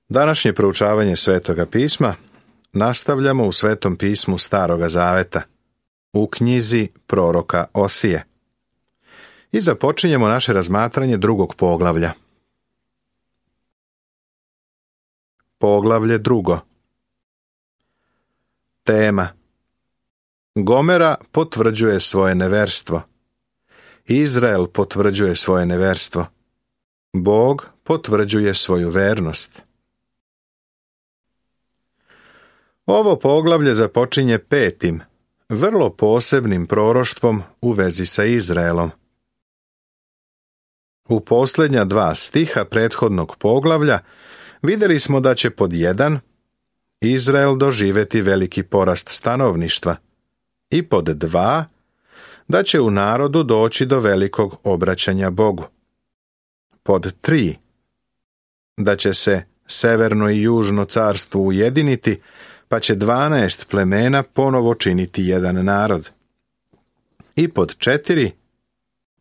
Današnje proučavanje Svetoga pisma nastavljamo u Svetom pismu Staroga zaveta, u knjizi proroka Osije. I započinjemo naše razmatranje drugog poglavlja. Poglavlje drugo. Tema: Gomera potvrđuje svoje neverstvo. Izrael potvrđuje svoje neverstvo. Bog potvrđuje svoju vernost. Ovo poglavlje započinje petim, vrlo posebnim proroštvom u vezi sa Izraelom. U posljednja 2 stiha prethodnog poglavlja vidjeli smo da će pod 1 Izrael doživjeti veliki porast stanovništva i pod 2 da će u narodu doći do velikog obraćanja Bogu. Pod 3 da će se severno i južno carstvo ujediniti, pa će 12 plemena ponovo činiti jedan narod. I pod 4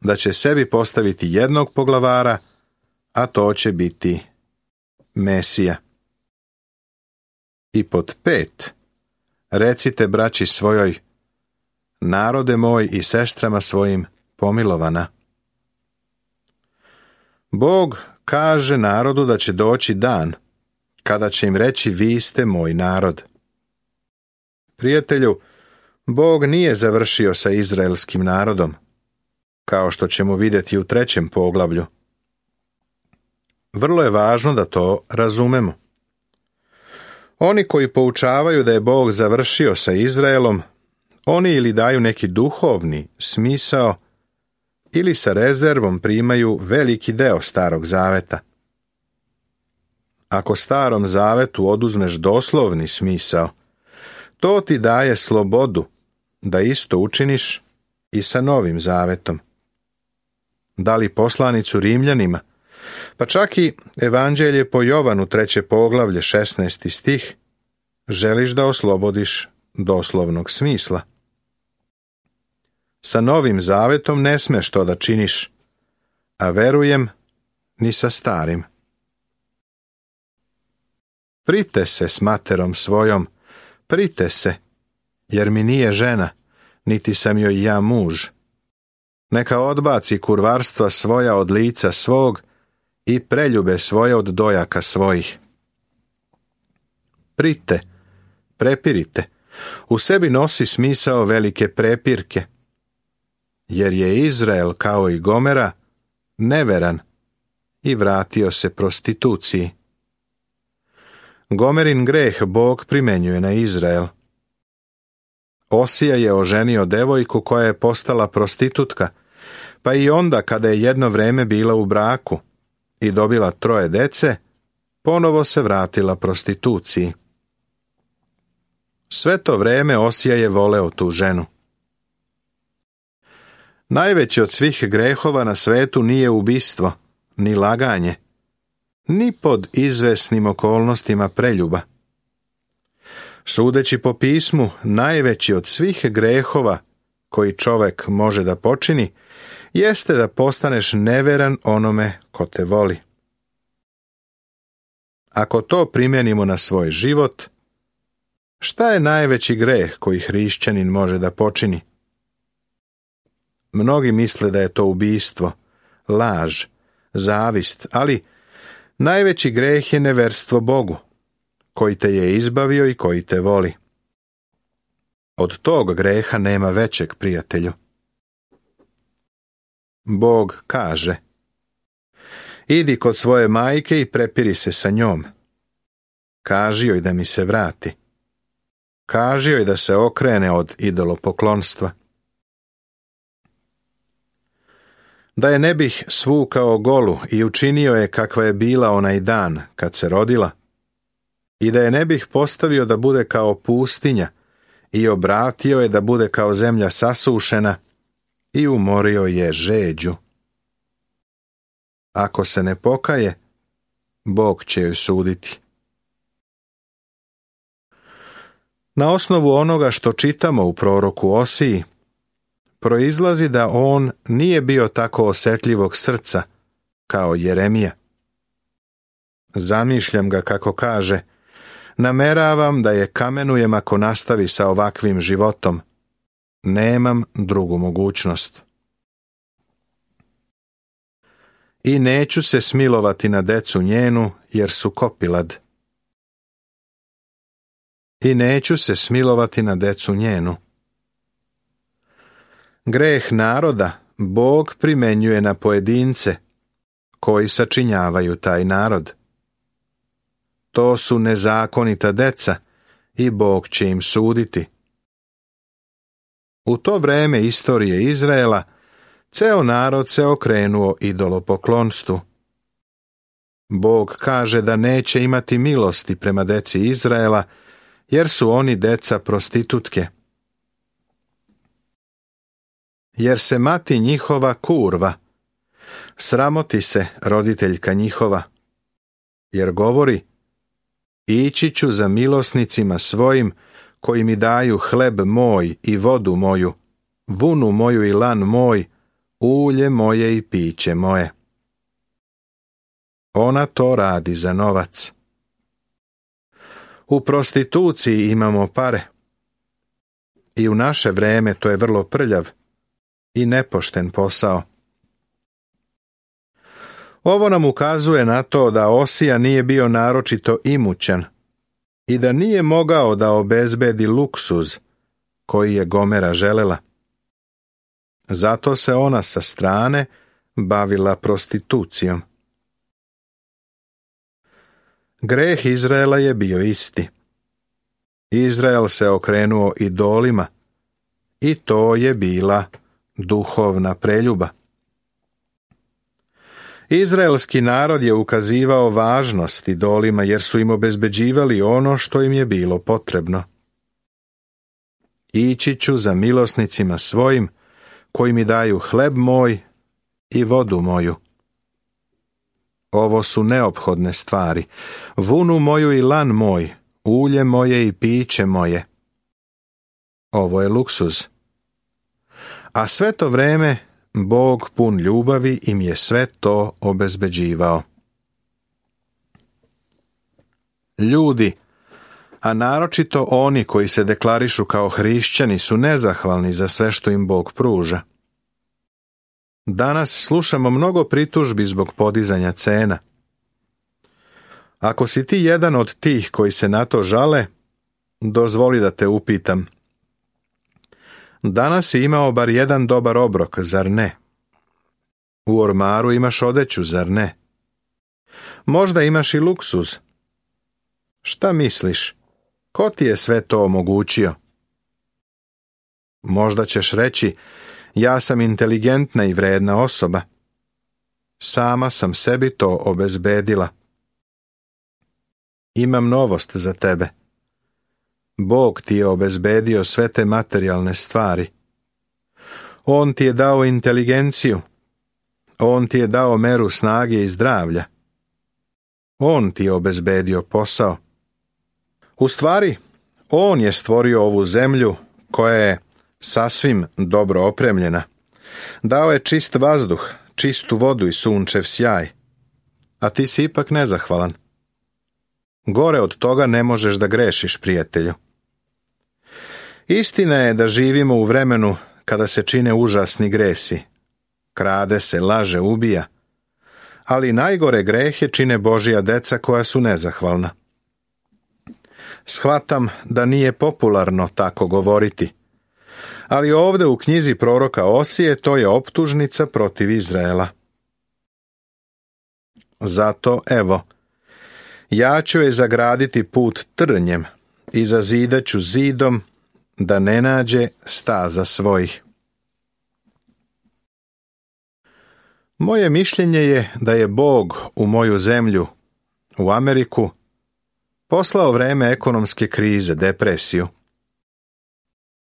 da će sebi postaviti jednog poglavara, a to će biti Mesija. I pod 5 recite braći svojoj: narode moj i sestrama svojim pomilovana. Bog kaže narodu da će doći dan kada će im reći: vi ste moj narod. Prijatelju, Bog nije završio sa izraelskim narodom, kao što ćemo vidjeti u 3. poglavlju. Vrlo je važno da to razumemo. Oni koji poučavaju da je Bog završio sa Izraelom, oni ili daju neki duhovni smisao, ili sa rezervom primaju veliki deo Starog zaveta. Ako Starom zavetu oduzmeš doslovni smisao, to ti daje slobodu da isto učiniš i sa Novim zavetom. Da li poslanicu Rimljanima, pa čak i Evanđelje po Jovanu 3. poglavlje 16. stih, želiš da oslobodiš doslovnog smisla. Sa Novim zavetom ne smeš to da činiš, a verujem ni sa Starim. Prite se s materom svojom, prite se, jer mi nije žena, niti sam joj ja muž. Neka odbaci kurvarstva svoja od lica svog i preljube svoje od dojaka svojih. Prite, prepirite, u sebi nosi smisao velike prepirke, jer je Izrael kao i Gomera neveran i vratio se prostituciji. Gomerin greh Bog primenjuje na Izrael. Osija je oženio devojku koja je postala prostitutka, pa i onda kada je jedno vreme bila u braku i dobila 3 dece, ponovo se vratila prostituciji. Sve to vreme Osija je voleo tu ženu. Najveći od svih grehova na svetu nije ubistvo, ni laganje, ni pod izvesnim okolnostima preljuba. Sudeći po pismu, najveći od svih grehova koji čovjek može da počini, jeste da postaneš neveran onome ko te voli. Ako to primjenimo na svoj život, šta je najveći greh koji hrišćanin može da počini? Mnogi misle da je to ubistvo, laž, zavist, ali najveći greh je neverstvo Bogu, koji te je izbavio i koji te voli. Od tog greha nema većeg, prijatelju. Bog kaže: idi kod svoje majke i prepiri se sa njom. Kaži joj da mi se vrati. Kaži joj da se okrene od idolopoklonstva. Da je ne bih svukao golu i učinio je kakva je bila onaj dan kad se rodila, i da je ne bih postavio da bude kao pustinja i obratio je da bude kao zemlja sasušena i umorio je žeđu. Ako se ne pokaje, Bog će joj suditi. Na osnovu onoga što čitamo u proroku Osiji, proizlazi da on nije bio tako osjetljivog srca kao Jeremija. Zamišljam ga kako kaže: nameravam da je kamenujem ako nastavi sa ovakvim životom. Nemam drugu mogućnost. I neću se smilovati na decu njenu, jer su kopilad. I neću se smilovati na decu njenu. Greh naroda Bog primenjuje na pojedince koji sačinjavaju taj narod. To su nezakonita deca i Bog će im suditi. U to vreme istorije Izraela ceo narod se okrenuo idolopoklonstvu. Bog kaže da neće imati milosti prema deci Izraela, jer su oni deca prostitutke. Jer se mati njihova kurva, sramoti se roditeljka njihova, jer govori: ići ću za milosnicima svojim, koji mi daju hleb moj i vodu moju, vunu moju i lan moj, ulje moje i piće moje. Ona to radi za novac. U prostituciji imamo pare. I u naše vreme to je vrlo prljav i nepošten posao. Ovo nam ukazuje na to da Osija nije bio naročito imućan i da nije mogao da obezbedi luksuz koji je Gomera želela. Zato se ona sa strane bavila prostitucijom. Greh Izraela je bio isti. Izrael se okrenuo idolima i to je bila duhovna preljuba. Izraelski narod je ukazivao važnost idolima jer su im obezbeđivali ono što im je bilo potrebno. Ići ću za milosnicima svojim, koji mi daju hleb moj i vodu moju. Ovo su neophodne stvari, vunu moju i lan moj, ulje moje i piće moje. Ovo je luksuz. A sve to vreme Bog pun ljubavi im je sve to obezbeđivao. Ljudi, a naročito oni koji se deklarišu kao hrišćani, su nezahvalni za sve što im Bog pruža. Danas slušamo mnogo pritužbi zbog podizanja cena. Ako si ti jedan od tih koji se na to žale, dozvoli da te upitam. Danas si imao bar jedan dobar obrok, zar ne? U ormaru imaš odeću, zar ne? Možda imaš i luksuz. Šta misliš? Ko ti je sve to omogućio? Možda ćeš reći: ja sam inteligentna i vredna osoba. Sama sam sebi to obezbedila. Imam novost za tebe. Bog ti je obezbedio sve te materijalne stvari. On ti je dao inteligenciju. On ti je dao meru snage i zdravlja. On ti je obezbedio posao. U stvari, on je stvorio ovu zemlju koja je sasvim dobro opremljena. Dao je čist vazduh, čistu vodu i sunčev sjaj. A ti si ipak nezahvalan. Gore od toga ne možeš da grešiš, prijatelju. Istina je da živimo u vremenu kada se čine užasni gresi. Krade se, laže, ubija. Ali najgore grehe čine Božja deca koja su nezahvalna. Shvatam da nije popularno tako govoriti. Ali ovde u knjizi proroka Osije to je optužnica protiv Izraela. Zato, evo, ja ću je zagraditi put trnjem i zazidat ću zidom da ne nađe staza svojih. Moje mišljenje je da je Bog u moju zemlju, u Ameriku, poslao vreme ekonomske krize, depresiju.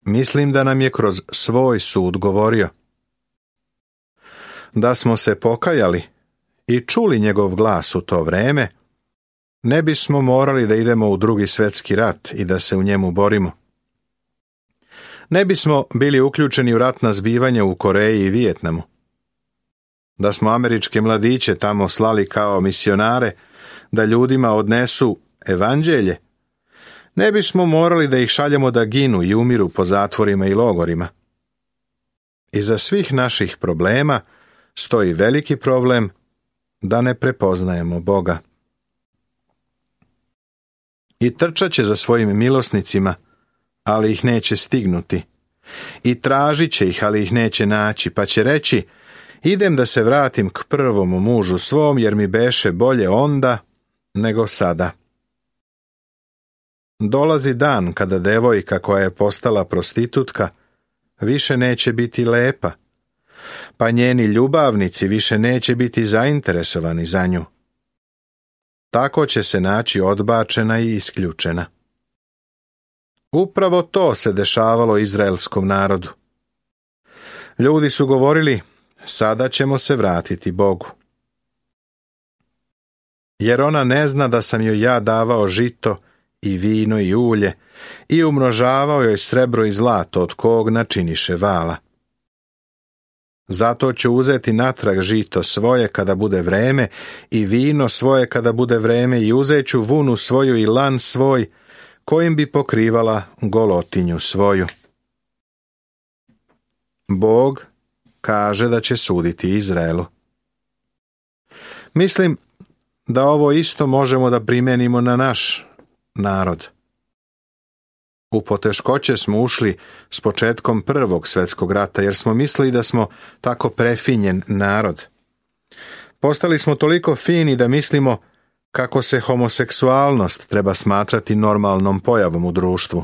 Mislim da nam je kroz svoj sud govorio. Da smo se pokajali i čuli njegov glas u to vreme, ne bismo morali da idemo u Drugi svjetski rat i da se u njemu borimo. Ne bismo bili uključeni u ratna zbivanja u Koreji i Vijetnamu. Da smo američke mladiće tamo slali kao misionare, da ljudima odnesu evanđelje, ne bismo morali da ih šaljemo da ginu i umiru po zatvorima i logorima. Iza svih naših problema stoji veliki problem da ne prepoznajemo Boga. I trčat će za svojim milosnicima, ali ih neće stignuti. I tražit će ih, ali ih neće naći, pa će reći: idem da se vratim k prvom mužu svom, jer mi beše bolje onda nego sada. Dolazi dan kada devojka koja je postala prostitutka više neće biti lepa, pa njeni ljubavnici više neće biti zainteresovani za nju. Tako će se naći odbačena i isključena. Upravo to se dešavalo izraelskom narodu. Ljudi su govorili: sada ćemo se vratiti Bogu. Jer ona ne zna da sam joj ja davao žito i vino i ulje i umnožavao joj srebro i zlato od kog načiniše vala. Zato ću uzeti natrag žito svoje kada bude vreme i vino svoje kada bude vreme i uzet ću vunu svoju i lan svoj kojim bi pokrivala golotinju svoju. Bog kaže da će suditi Izraelu. Mislim da ovo isto možemo da primenimo na naš narod. U poteškoće smo ušli s početkom Prvog svjetskog rata, jer smo mislili da smo tako prefinjen narod. Postali smo toliko fini da mislimo kako se homoseksualnost treba smatrati normalnom pojavom u društvu.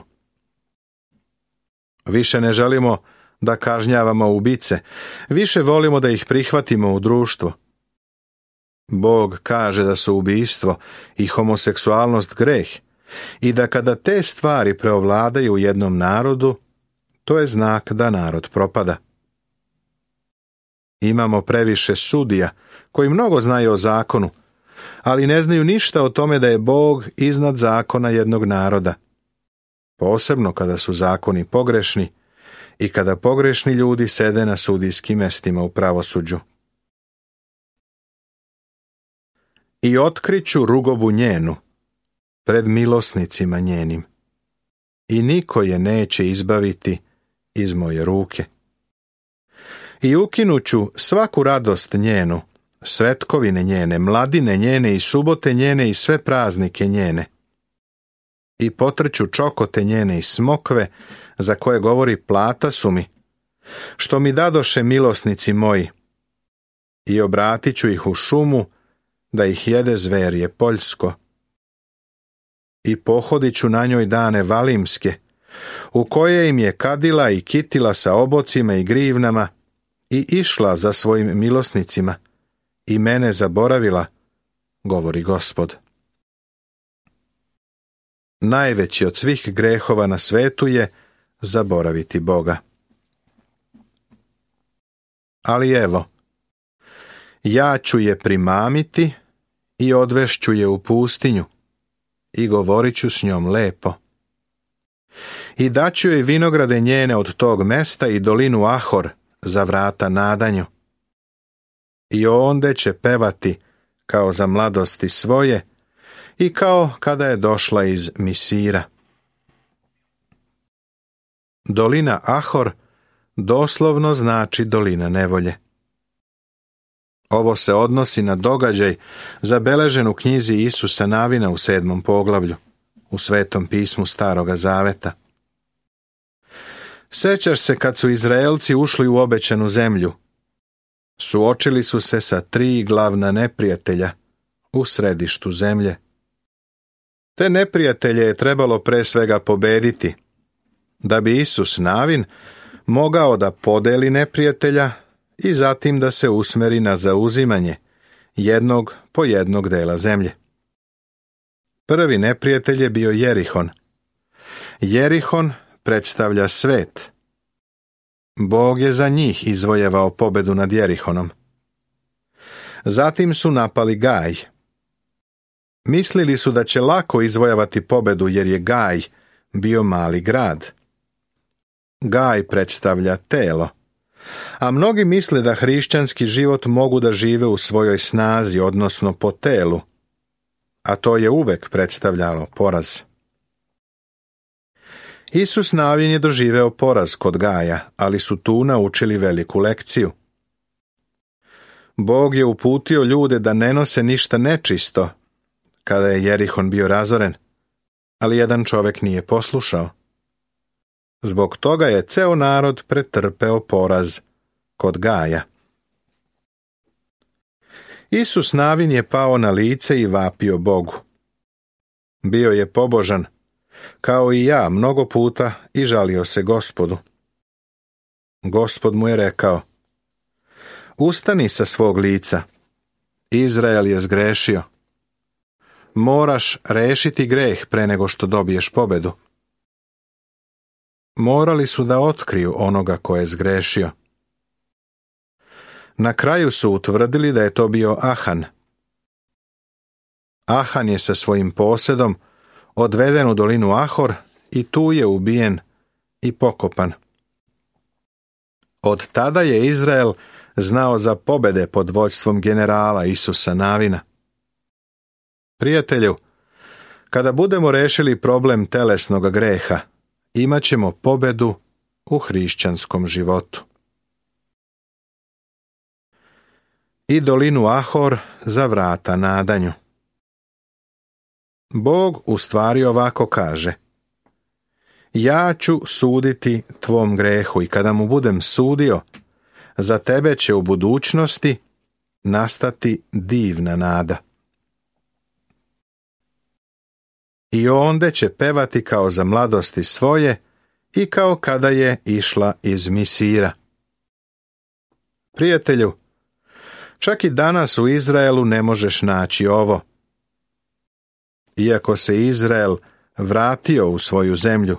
Više ne želimo da kažnjavamo ubice, više volimo da ih prihvatimo u društvo. Bog kaže da su ubistvo i homoseksualnost greh i da kada te stvari preovladaju u jednom narodu, to je znak da narod propada. Imamo previše sudija koji mnogo znaju o zakonu, ali ne znaju ništa o tome da je Bog iznad zakona jednog naroda. Posebno kada su zakoni pogrešni i kada pogrešni ljudi sede na sudijskim mestima u pravosuđu. I otkriću rugobu njenu pred milosnicima njenim, i niko je neće izbaviti iz moje ruke. I ukinuću svaku radost njenu, svetkovine njene, mladine njene i subote njene i sve praznike njene. I potrću čokote njene i smokve, za koje govori plata su mi, što mi dadoše milosnici moji. I obratit ću ih u šumu, da ih jede zverje poljsko. I pohodit ću na njoj dane valimske, u koje im je kadila i kitila sa obocima i grivnama, i išla za svojim milosnicima, i mene zaboravila, govori Gospod. Najveći od svih grehova na svetu je zaboraviti Boga. Ali evo, ja ću je primamiti i odvešću je u pustinju i govorit ću s njom lepo. I daću joj vinograde njene od tog mesta i dolinu Ahor za vrata nadanju. I onde će pevati kao za mladosti svoje i kao kada je došla iz Misira. Dolina Ahor doslovno znači dolina nevolje. Ovo se odnosi na događaj zabeležen u knjizi Isusa Navina u 7. poglavlju, u Svetom pismu Staroga Zaveta. Sećaš se kad su Izraelci ušli u obećanu zemlju? Suočili su se sa 3 glavna neprijatelja u središtu zemlje. Te neprijatelje je trebalo pre svega pobediti, da bi Isus Navin mogao da podeli neprijatelja i zatim da se usmeri na zauzimanje jednog po jednog dela zemlje. Prvi neprijatelj je bio Jerihon. Jerihon predstavlja svet. Bog je za njih izvojevao pobedu nad Jerihonom. Zatim su napali Gaj. Mislili su da će lako izvojevati pobedu jer je Gaj bio mali grad. Gaj predstavlja telo, a mnogi misle da hrišćanski život mogu da žive u svojoj snazi, odnosno po telu. a to je uvek predstavljalo poraz. Isus Navin je doživeo poraz kod Gaja, ali su tu naučili veliku lekciju. Bog je uputio ljude da ne nose ništa nečisto, kada je Jerihon bio razoren, ali jedan čovjek nije poslušao. Zbog toga je ceo narod pretrpeo poraz kod Gaja. Isus Navin je pao na lice i vapio Bogu. Bio je pobožan, kao i ja mnogo puta, i žalio se Gospodu. Gospod mu je rekao: ustani sa svog lica, Izrael je zgrešio. Moraš rešiti greh pre nego što dobiješ pobedu. Morali su da otkriju onoga ko je zgrešio. Na kraju su utvrdili da je to bio Ahan. Ahan je sa svojim posedom odveden u dolinu Ahor i tu je ubijen i pokopan. Od tada je Izrael znao za pobede pod vođstvom generala Isusa Navina. Prijatelju, kada budemo rešili problem telesnog greha, imat ćemo pobedu u hrišćanskom životu. I dolinu Ahor za vrata nadanju. Bog u stvari ovako kaže: ja ću suditi tvom grehu i kada mu budem sudio, za tebe će u budućnosti nastati divna nada. I onda će pevati kao za mladosti svoje i kao kada je išla iz Misira. Prijatelju, čak i danas u Izraelu ne možeš naći ovo. Iako se Izrael vratio u svoju zemlju,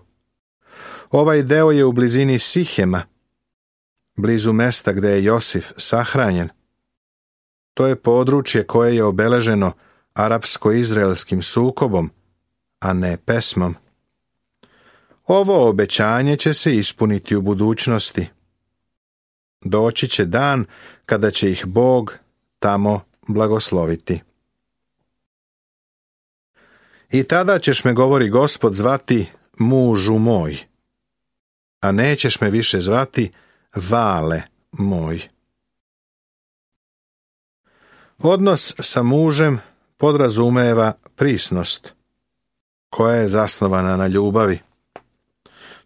ovaj deo je u blizini Sihema, blizu mesta gde je Josif sahranjen. To je područje koje je obeleženo arapsko-izraelskim sukobom, a ne pesmom. Ovo obećanje će se ispuniti u budućnosti. Doći će dan kada će ih Bog tamo blagosloviti. I tada ćeš me, govori Gospod, zvati mužu moj, a nećeš me više zvati vale moj. Odnos sa mužem podrazumeva prisnost, koja je zasnovana na ljubavi.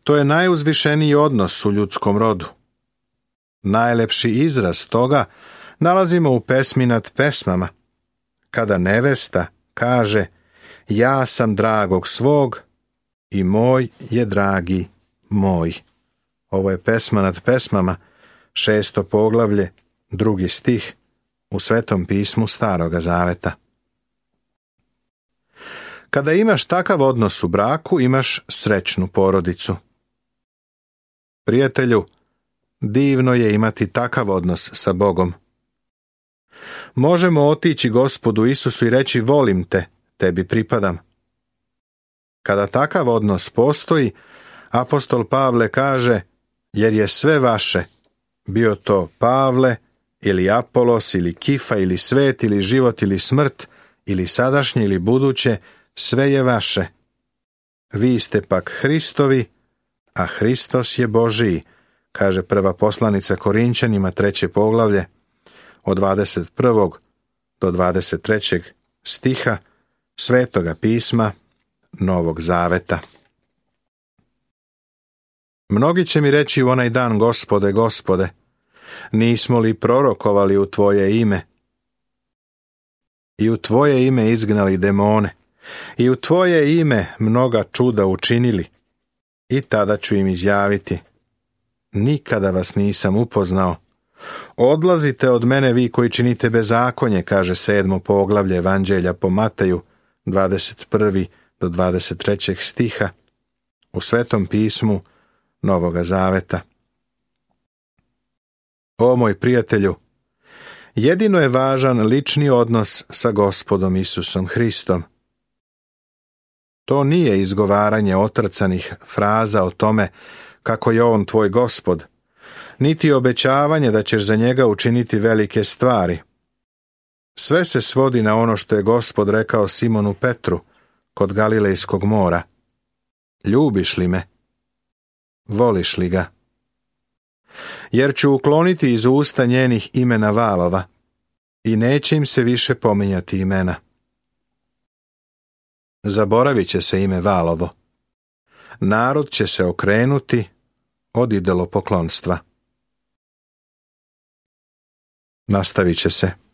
To je najuzvišeniji odnos u ljudskom rodu. Najlepši izraz toga nalazimo u pesmi nad pesmama, kada nevesta kaže: ja sam dragog svog i moj je dragi moj. Ovo je pesma nad pesmama, 6. poglavlje, 2. stih u Svetom pismu Staroga Zaveta. Kada imaš takav odnos u braku, imaš srećnu porodicu. Prijatelju, divno je imati takav odnos sa Bogom. Možemo otići Gospodu Isusu i reći: volim te, tebi pripadam. Kada takav odnos postoji, apostol Pavle kaže: jer je sve vaše, bio to Pavle, ili Apolos, ili Kifa, ili svet, ili život, ili smrt, ili sadašnje, ili buduće, sve je vaše. Vi ste pak Hristovi, a Hristos je Božiji, kaže prva poslanica Korinćanima, 3. poglavlje, od 21. do 23. stiha Svetoga pisma Novog Zaveta. Mnogi će mi reći u onaj dan: Gospode, Gospode, nismo li prorokovali u Tvoje ime? I u Tvoje ime izgnali demone, i u Tvoje ime mnoga čuda učinili. I tada ću im izjaviti: nikada vas nisam upoznao. Odlazite od mene, vi koji činite bezakonje, kaže 7. poglavlje Evanđelja po Mateju, 21. do 23. stiha u Svetom pismu Novoga Zaveta. O moj prijatelju, jedino je važan lični odnos sa Gospodom Isusom Hristom. To nije izgovaranje otrcanih fraza o tome kako je on tvoj Gospod, niti obećavanje da ćeš za njega učiniti velike stvari. Sve se svodi na ono što je Gospod rekao Simonu Petru kod Galilejskog mora. Ljubiš li me? Voliš li ga? Jer ću ukloniti iz usta njenih imena valova i neće im se više pominjati imena. Zaboravit će se ime valovo. Narod će se okrenuti od idolopoklonstva. Nastavit će se.